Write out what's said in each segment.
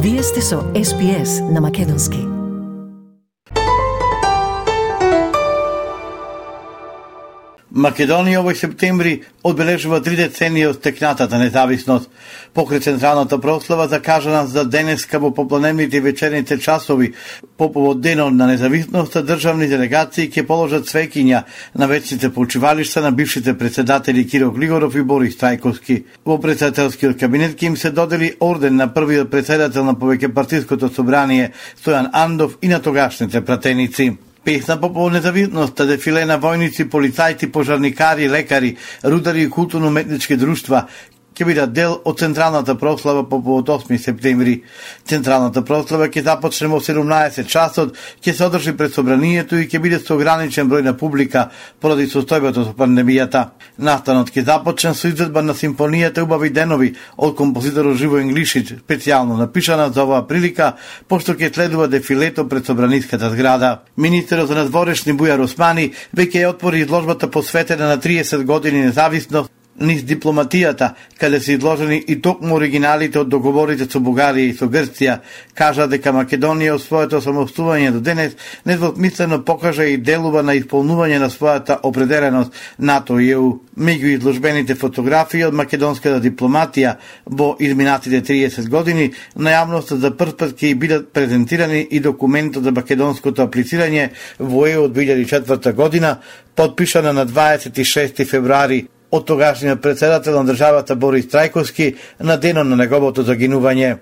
Вие сте со SPS на Македонски. Македонија овој септември одбележува 3 децении од стекнатата независност. Покрај централната прослава закажана за денеска во попладневните и вечерните часови по повод денот на независноста, државни делегации ќе положат цвеќиња на вечните почивалишта на бившите председатели Киро Глигоров и Борис Трајковски. Во председателскиот кабинет ќе им се додели орден на првиот председател на повеќепартиското собрание Стојан Андов и на тогашните пратеници. Песна по повод независноста, дефиле на војници, полицајци, пожарникари, лекари, рудари и културно-уметнички друштва ќе бидат дел од централната прослава по повод 8 септември. Централната прослава ќе започне во 17 часот, ќе се одржи пред собранието и ќе биде со ограничен број на публика поради состојбата со пандемијата. Настанот ќе започне со изведба на симфонијата Убави денови од композиторот Живој Инглишич, специјално напишана за оваа прилика, пошто ќе следува дефилето пред собраниската зграда. Министерот за надворешни Бујар Османи веќе ја отвори изложбата посветена на 30 години независност низ дипломатијата, каде се изложени и токму оригиналите од договорите со Бугарија и со Грција, кажа дека Македонија од своето самостојување до денес недвосмислено покажа и делува на исполнување на својата определеност НАТО и ЕУ. Меѓу изложбените фотографии од македонската дипломатија во изминатите 30 години, на јавноста за прв пат ќе бидат презентирани и документот за македонското аплицирање во ЕУ од 2004 година, подпишана на 26 февруари од тогашниот председател на државата Борис Трајковски на денот на неговото загинување.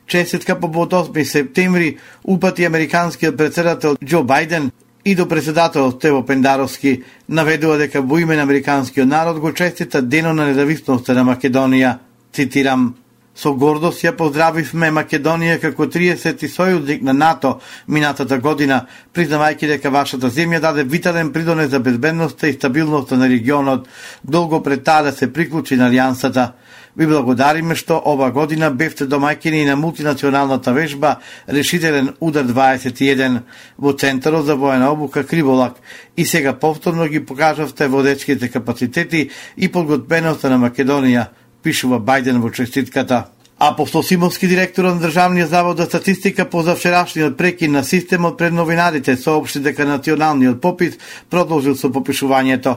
Честитка по повод 8 септември упати американскиот председател Џо Бајден и до председателот Стево Пендаровски, наведува дека во име на американскиот народ го честита денот на независноста на Македонија. Цитирам: "Со гордост ја поздравивме Македонија како 30-ти сојузник на НАТО минатата година, признавајќи дека вашата земја даде витален придонес за безбедноста и стабилноста на регионот, долго пред таа да се приклучи на алијансата. Ви благодариме што ова година бевте домаќини на мултинационалната вежба Решителен удар 21 во Центарот за воена обука Криволак и сега повторно ги покажавте водечките капацитети и подготвеноста на Македонија", пишува Бајден во честитката. Апостол Симовски, директор на Државниот завод за статистика, по завчерашниот прекин на системот пред новинарите соопшти дека националниот попис продолжил со попишувањето.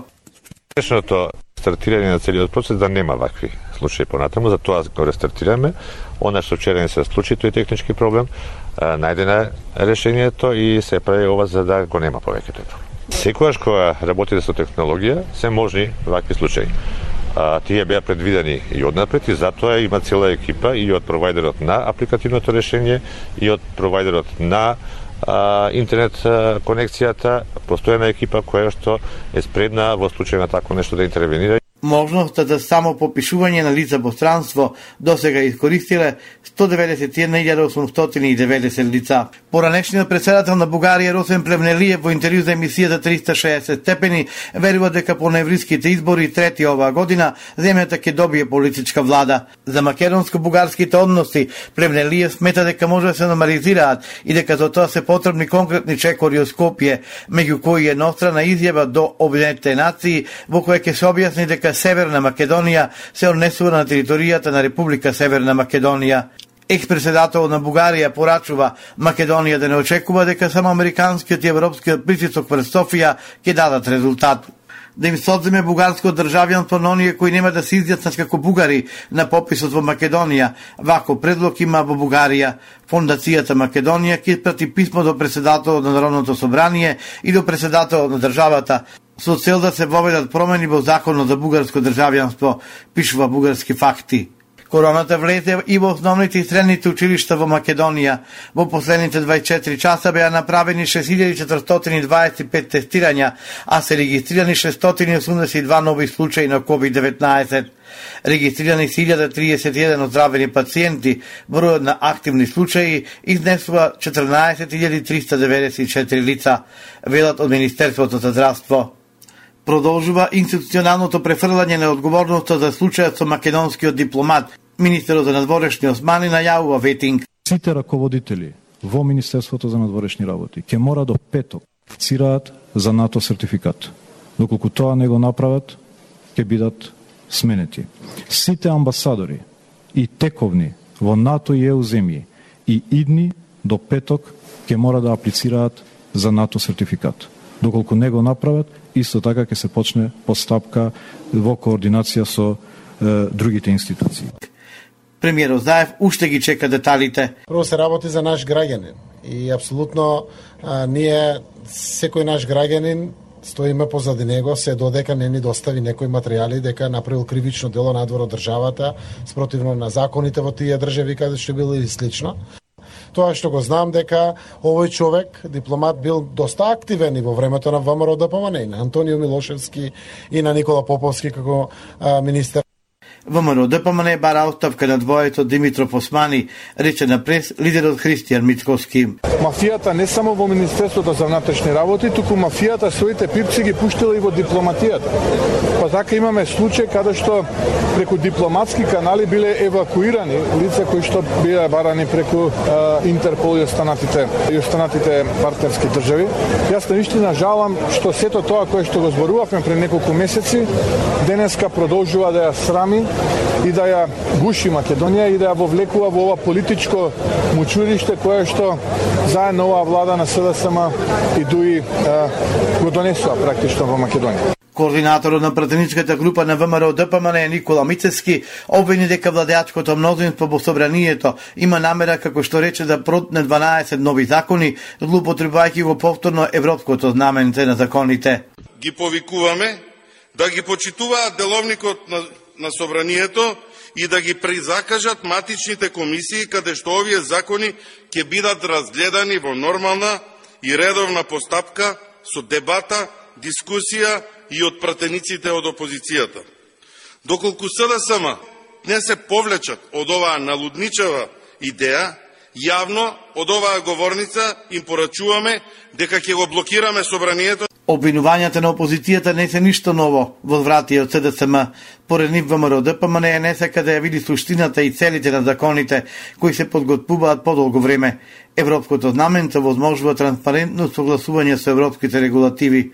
Успешното стартирање на целиот процес да нема вакви случаи понатаму, затоа го рестартираме. Она што вчера не се случи, тој технички проблем, најдено решението и се прави ова за да го нема повеќе тој проблем. Секогаш кога работите со технологија, се можни вакви случаи. Тие беа предвидени и однапред и затоа има цела екипа и од провајдерот на апликативното решение и од провајдерот на интернет конекцијата, постојана екипа која што е спредна во случај на такво нешто да интервенира. Можноста за само попишување на лица во странство досега искористиле 191.890 лица. Поранешниот председател на Бугарија Росен Плевнелиев во интервју за емисијата 360 степени верува дека по ноемвриските избори трети оваа година земјата ќе добие политичка влада. За македонско-бугарските односи Плевнелиев смета дека може да се нормализираат и дека за тоа се потребни конкретни чекори од Скопје, меѓу кои еднострана изјава до Обединетите нации во која ќе се објасни дека Северна Македонија се однесува на територијата на Република Северна Македонија. Експредседателот на Бугарија порачува Македонија да не очекува дека само американскиот и европскиот притисок врз Софија ќе дадат резултат. Да им се одземе бугарско државјанство на оние кои нема да се изјаснат како бугари на пописот во Македонија. Вако предлог има во Бугарија. Фондацијата Македонија ќе испрати писмо до председателот на Народното собрание и до председателот на државата со цел да се воведат промени во законот за бугарско државјанство, пишува Бугарски факти. Короната влезе и во основните и средните училишта во Македонија. Во последните 24 часа беа направени 6425 тестирања, а се регистрирани 682 нови случаи на COVID-19. Регистрирани се 1031 оздравени пациенти, бројот на активни случаи изнесува 14394 лица, велат од Министерството за здравство. Продолжува институционалното префрлање на одговорноста за случајот со македонскиот дипломат. Министерот за надворешни Османи најавува ветинг. Сите раководители во Министерството за надворешни работи ќе мора до петок цираат за НАТО сертификат. Доколку тоа не го направат, ќе бидат сменети. Сите амбасадори и тековни во НАТО и ЕУ земји и идни до петок ќе мора да аплицираат за НАТО сертификат. Доколку не го направат, исто така ќе се почне постапка во координација со другите институции. Премиерот Заев уште ги чека деталите. Прво се работи за наш граѓанин и апсолутно ние, секој наш граѓанин, стоиме позади него, се додека не ни достави некои материјали дека направил кривично дело надвор од државата, спротивно на законите во тие држави каде што било или слично. Тоа што го знам дека овој човек, дипломат, бил доста активен и во времето на ВМРО ДПМН, и на Антонио Милошевски и на Никола Поповски како министер. ВМРО ДПМН бара оставка на двоето Димитров Османи, рече на прес лидерот Христијан Мицковски. Мафијата не само во Министерството за внатрешни работи, туку мафијата своите пипци ги пуштила и во дипломатијата. Па така имаме случај каде што преку дипломатски канали биле евакуирани лица кои што биле барани преку Интерпол и останатите партнерски држави. Јас наистина жалам што сето тоа кое што го зборувавме пред неколку месеци денеска продолжува да ја срами и да ја гуши Македонија и да ја вовлекува во ова политичко мучуриште кое што заедно оваа влада на СДСМ и ДУИ го донесува практично во Македонија. Координаторот на пратеничката група на ВМРО ДПМН Никола Мицевски обвини дека владеачкото мнозинство во собранието има намера, како што рече, да протне 12 нови закони, злоупотребувајќи го повторно европското знаменце на законите. Ги повикуваме да ги почитуваат деловникот на собранието и да ги призакажат матичните комисии каде што овие закони ќе бидат разгледани во нормална и редовна постапка со дебата, дискусија и од пратениците од опозицијата. Доколку СДСМ не се повлечат од оваа налудничава идеја, јавно од оваа говорница им порачуваме дека ќе го блокираме собранието. Обвинувањата на опозицијата не се ништо ново во вратија од СДСМ. Поред нив ВМРО ДПМН не сака да ја види суштината и целите на законите кои се подготвуваат подолго време. Европското знаменце возможува транспарентно согласување со европските регулативи.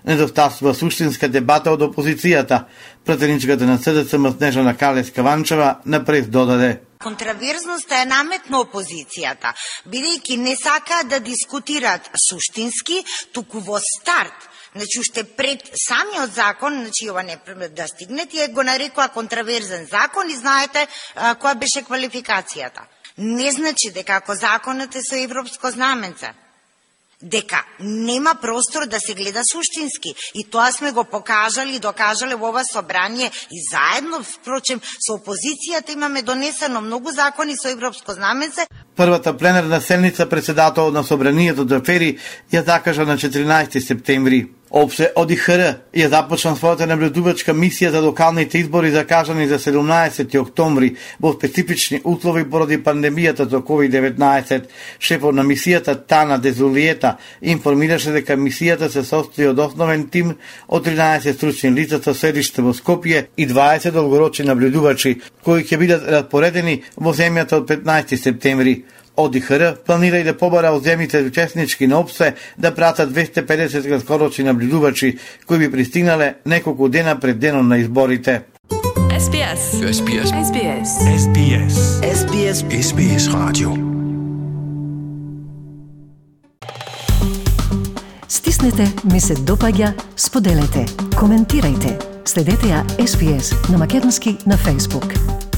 Недостасува суштинска дебата од опозицијата. Пратеничката на СДСМ Снежана Калес-Каванчева на прес додаде: Контраверзноста е наметна опозицијата, бидејќи не сакаат да дискутираат суштински, туку во старт. Значи, уште пред самиот закон, значи ова не да стигне, тие го нарекоа контраверзен закон и знаете која беше квалификацијата. Не значи дека ако законот е со европско знаменце, дека нема простор да се гледа суштински. И тоа сме го покажали и докажале во ова собрание и заедно, впрочем, со опозицијата имаме донесено многу закони со европско знаменце. Првата пленарна седница председателот на собранието Џафери ја закажа на 14 септември. ОПСЕ ОДИХР ја започна својата наблюдувачка мисија за локалните избори закажани за 17 октомври во специфични услови поради пандемијата за COVID-19. Шефот на мисијата Тана Дезулиета информираше дека мисијата се состои од основен тим од 13 стручни лица со седиште во Скопје и 20 долгорочни наблюдувачи, кои ќе бидат распоредени во земјата од 15 септември. ОДИХР планира и да побара од земјите учеснички на ОПСЕ да пратат 250 краткорочни наблюдувачи кои би пристигнале неколку дена пред денот на изборите. SBS. SBS. SBS. SBS. SBS. SBS Radio. Стиснете, ми се допаѓа, споделете, коментирајте. Следете ја SBS на Македонски на Facebook.